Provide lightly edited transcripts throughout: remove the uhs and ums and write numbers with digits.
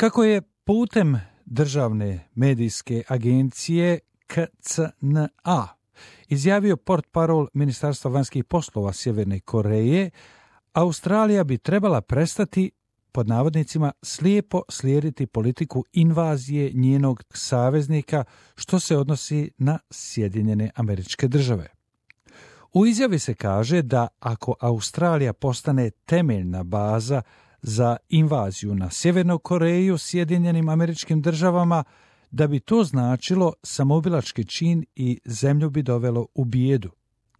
Kako je putem državne medijske agencije KCNA izjavio portparol Ministarstva vanjskih poslova Sjeverne Koreje, Australija bi trebala prestati, pod navodnicima, slijepo slijediti politiku invazije njenog saveznika što se odnosi na Sjedinjene Američke Države. U izjavi se kaže da ako Australija postane temeljna baza za invaziju na Sjevernu Koreju Sjedinjenim Američkim Državama, da bi to značilo samoubilački čin i zemlju bi dovelo u bijedu.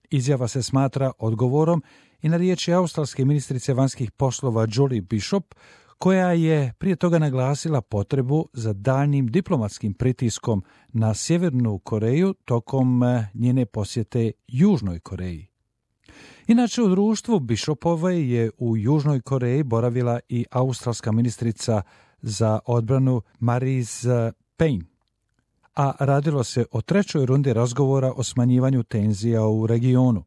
Izjava se smatra odgovorom i na riječi australske ministrice vanjskih poslova Julie Bishop, koja je prije toga naglasila potrebu za daljnjim diplomatskim pritiskom na Sjevernu Koreju tokom njene posjete Južnoj Koreji. Inače, u društvu Bishopove je u Južnoj Koreji boravila i australska ministrica za odbranu Marise Payne, a radilo se o trećoj rundi razgovora o smanjivanju tenzija u regionu.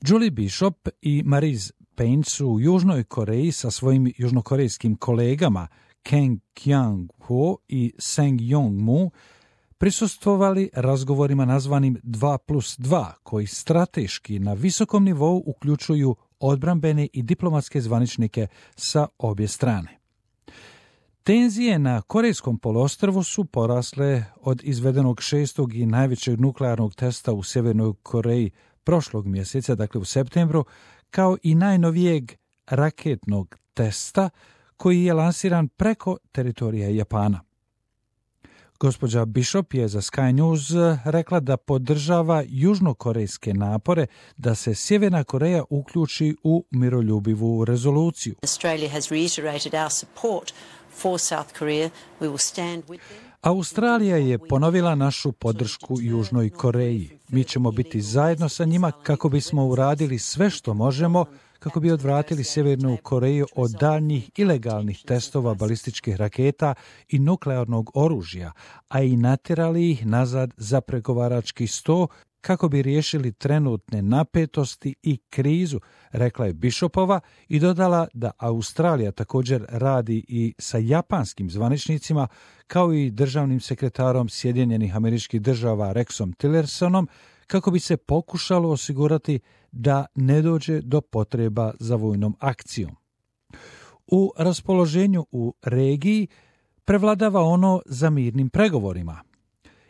Julie Bishop i Marise Payne su u Južnoj Koreji sa svojim južnokorejskim kolegama Kang Kyung-ho i Seng Yong-mu prisustvovali razgovorima nazvanim 2+2, koji strateški na visokom nivou uključuju odbrambene i diplomatske zvaničnike sa obje strane. Tenzije na Korejskom poluostrvu su porasle od izvedenog 6. i najvećeg nuklearnog testa u Sjevernoj Koreji prošlog mjeseca, dakle u septembru, kao i najnovijeg raketnog testa koji je lansiran preko teritorija Japana. Gospođa Bishop je za Sky News rekla da podržava južnokorejske napore da se Sjeverna Koreja uključi u miroljubivu rezoluciju. Australija je ponovila našu podršku Južnoj Koreji. Mi ćemo biti zajedno sa njima kako bismo uradili sve što možemo kako bi odvratili Sjevernu Koreju od daljnjih ilegalnih testova balističkih raketa i nuklearnog oružja, a i natjerali ih nazad za pregovarački sto kako bi riješili trenutne napetosti i krizu, rekla je Bishopova i dodala da Australija također radi i sa japanskim zvaničnicima kao i državnim sekretarom Sjedinjenih Američkih Država Rexom Tillersonom kako bi se pokušalo osigurati da ne dođe do potreba za vojnom akcijom. U raspoloženju u regiji prevladava ono za mirnim pregovorima.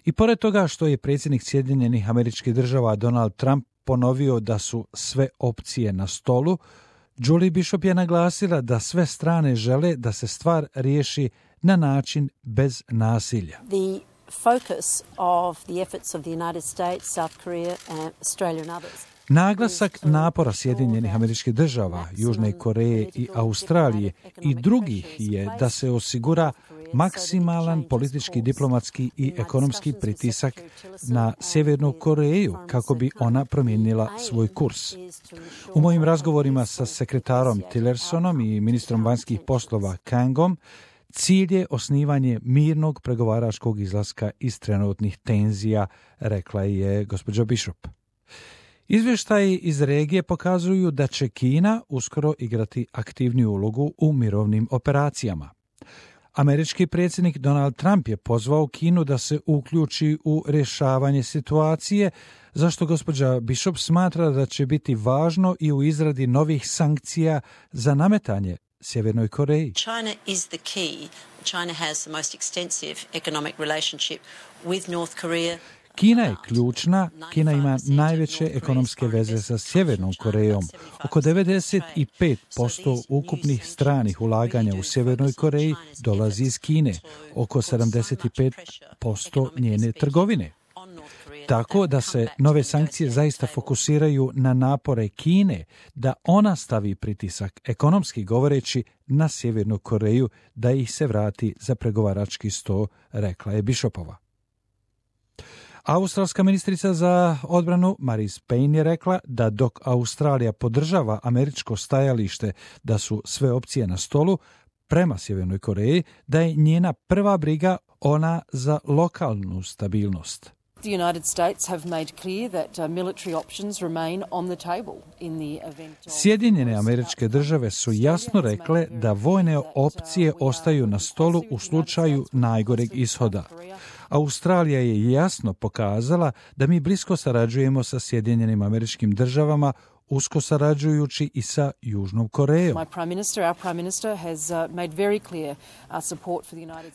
I pored toga što je predsjednik Sjedinjenih Američkih Država Donald Trump ponovio da su sve opcije na stolu, Julie Bishop je naglasila da sve strane žele da se stvar riješi na način bez nasilja. The focus of the efforts of the United States, South Korea, and Australia and others. Naglasak napora Sjedinjenih Američkih Država, Južne Koreje i Australije i drugih je da se osigura maksimalan politički, diplomatski i ekonomski pritisak na Sjevernu Koreju kako bi ona promijenila svoj kurs. U mojim razgovorima sa sekretarom Tillersonom i ministrom vanjskih poslova Kangom, cilj je osnivanje mirnog pregovaračkog izlaska iz trenutnih tenzija, rekla je gospođa Bishop. Izvještaji iz regije pokazuju da će Kina uskoro igrati aktivniju ulogu u mirovnim operacijama. Američki predsjednik Donald Trump je pozvao Kinu da se uključi u rješavanje situacije, zašto gospođa Bishop smatra da će biti važno i u izradi novih sankcija za nametanje Sjevernoj Koreji. China is the key. China has the most extensive economic relationship with North Korea. Kina je ključna, Kina ima najveće ekonomske veze sa Sjevernom Korejom. Oko 95% ukupnih stranih ulaganja u Sjevernoj Koreji dolazi iz Kine, oko 75% njene trgovine. Tako da se nove sankcije zaista fokusiraju na napore Kine da ona stavi pritisak, ekonomski govoreći, na Sjevernu Koreju da ih se vrati za pregovarački sto, rekla je Bishopova. Australska ministrica za odbranu Marise Payne je rekla da dok Australija podržava američko stajalište da su sve opcije na stolu prema Sjevernoj Koreji, da je njena prva briga ona za lokalnu stabilnost. The United States have made clear that military options remain on the table in the event of... Sjedinjene Američke Države su jasno rekle da vojne opcije ostaju na stolu u slučaju najgoreg ishoda. Australija je jasno pokazala da mi blisko sarađujemo sa Sjedinjenim Američkim Državama, usko sarađujući i sa Južnom Korejom.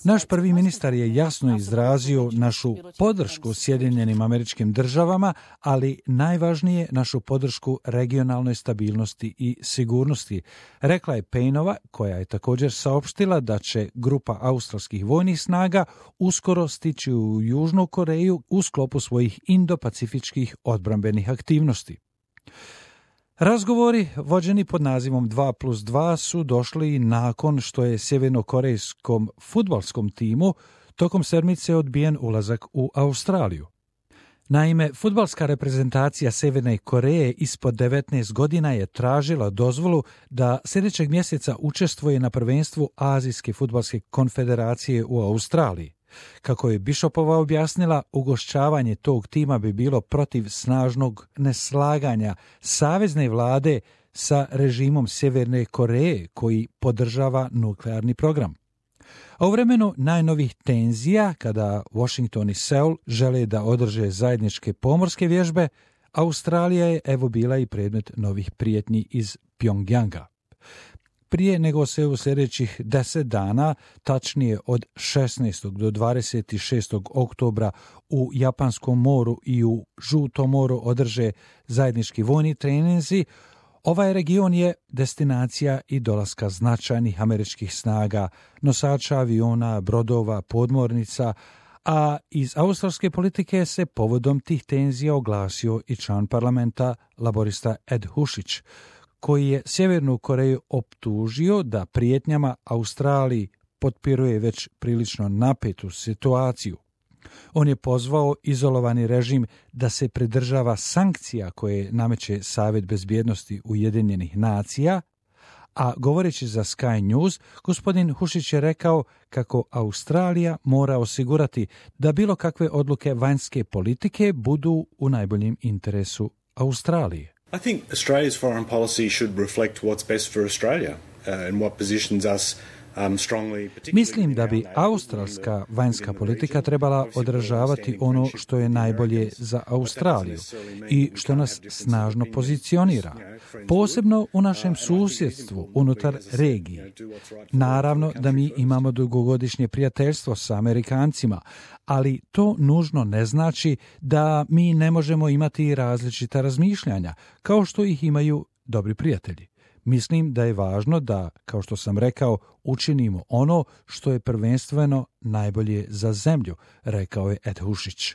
Naš prvi ministar je jasno izrazio našu podršku Sjedinjenim Američkim Državama, ali najvažnije našu podršku regionalnoj stabilnosti i sigurnosti, rekla je Payneova, koja je također saopštila da će grupa australskih vojnih snaga uskoro stići u Južnu Koreju u sklopu svojih indo-pacifičkih odbrambenih aktivnosti. Razgovori vođeni pod nazivom 2+2 su došli nakon što je sjevernokorejskom fudbalskom timu tokom sedmice odbijen ulazak u Australiju. Naime, fudbalska reprezentacija Sjeverne Koreje ispod 19 godina je tražila dozvolu da sljedećeg mjeseca učestvuje na prvenstvu Azijske fudbalske konfederacije u Australiji. Kako je Bishopova objasnila, ugošćavanje tog tima bi bilo protiv snažnog neslaganja savezne vlade sa režimom Sjeverne Koreje koji podržava nuklearni program. A u vremenu najnovih tenzija, kada Washington i Seul žele da održe zajedničke pomorske vježbe, Australija je evo bila i predmet novih prijetnji iz Pjongjanga. Prije nego se u sljedećih 10 dana, tačnije od 16. do 26. oktobra u Japanskom moru i u Žutom moru održe zajednički vojni treninzi, ovaj region je destinacija i dolaska značajnih američkih snaga, nosača aviona, brodova, podmornica, a iz australske politike se povodom tih tenzija oglasio i član parlamenta laborista Ed Hušić, koji je Sjevernu Koreju optužio da prijetnjama Australiji potpiruje već prilično napetu situaciju. On je pozvao izolovani režim da se pridržava sankcija koje nameće Savjet bezbjednosti Ujedinjenih nacija, a govoreći za Sky News, gospodin Hušić je rekao kako Australija mora osigurati da bilo kakve odluke vanjske politike budu u najboljem interesu Australije. I think Australia's foreign policy should reflect what's best for Australia and what positions us strongly. Mislim da bi australska vanjska politika trebala odražavati ono što je najbolje za Australiju i što nas snažno pozicionira, posebno u našem susjedstvu unutar regije. Naravno da mi imamo dugogodišnje prijateljstvo sa Amerikancima, ali to nužno ne znači da mi ne možemo imati različita razmišljanja, kao što ih imaju dobri prijatelji. Mislim da je važno da, kao što sam rekao, učinimo ono što je prvenstveno najbolje za zemlju, rekao je Ed Hušić.